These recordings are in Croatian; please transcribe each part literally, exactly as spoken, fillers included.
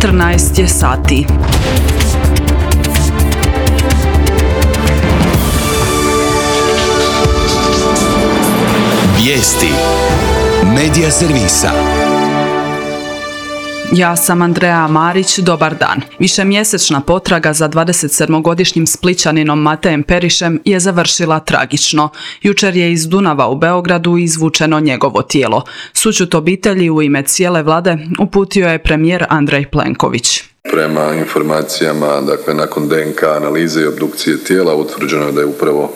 četrnaest je sati. Vijesti Medija servisa. Ja sam Andreja Marić, dobar dan. Višemjesečna potraga za dvadesetsedmogodišnjim Splićaninom Matejem Perišem je završila tragično. Jučer je iz Dunava u Beogradu izvučeno njegovo tijelo. Sućut obitelji u ime cijele vlade uputio je premijer Andrej Plenković. Prema informacijama, dakle, nakon D N K analize i obdukcije tijela utvrđeno je da je upravo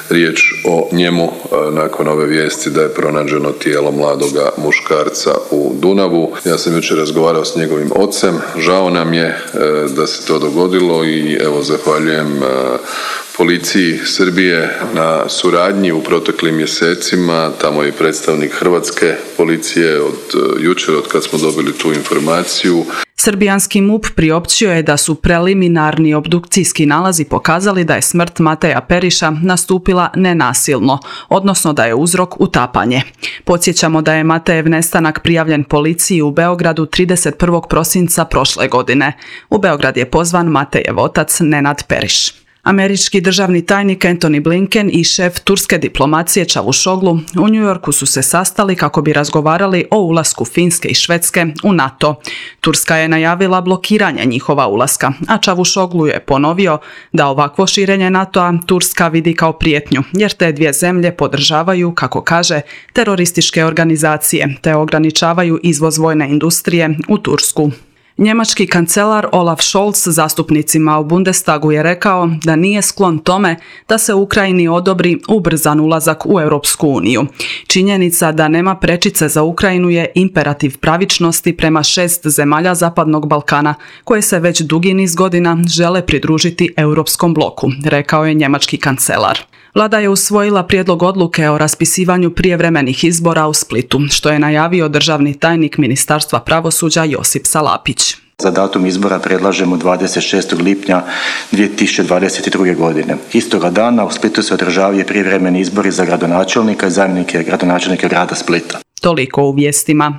riječ o njemu nakon ove vijesti da je pronađeno tijelo mladoga muškarca u Dunavu. Ja sam jučer razgovarao s njegovim ocem, žao nam je da se to dogodilo i evo zahvaljujem policiji Srbije na suradnji u proteklim mjesecima. Tamo je i predstavnik hrvatske policije od jučer, od kad smo dobili tu informaciju. Srbijanski M U P priopćio je da su preliminarni obdukcijski nalazi pokazali da je smrt Mateja Periša nastupila nenasilno, odnosno da je uzrok utapanje. Podsjećamo da je Matejev nestanak prijavljen policiji u Beogradu trideset prvog prosinca prošle godine. U Beograd je pozvan Matejev otac Nenad Periš. Američki državni tajnik Antony Blinken i šef turske diplomacije Čavuşoglu u New Yorku su se sastali kako bi razgovarali o ulasku Finske i Švedske u NATO. Turska je najavila blokiranje njihova ulaska, a Čavuşoglu je ponovio da ovakvo širenje NATO-a Turska vidi kao prijetnju, jer te dvije zemlje podržavaju, kako kaže, terorističke organizacije, te ograničavaju izvoz vojne industrije u Tursku. Njemački kancelar Olaf Scholz zastupnicima u Bundestagu je rekao da nije sklon tome da se Ukrajini odobri ubrzan ulazak u Europsku uniju. Činjenica da nema prečice za Ukrajinu je imperativ pravičnosti prema šest zemalja Zapadnog Balkana, koje se već dugi niz godina žele pridružiti Europskom bloku, rekao je njemački kancelar. Vlada je usvojila prijedlog odluke o raspisivanju prijevremenih izbora u Splitu, što je najavio državni tajnik Ministarstva pravosuđa Josip Salapić. Za datum izbora predlažemo dvadeset šestog lipnja dvije tisuće dvadeset druge. godine. Istoga dana u Splitu se održavaju prijevremeni izbori za gradonačelnika i zamjenike gradonačelnika grada Splita. Toliko u vijestima.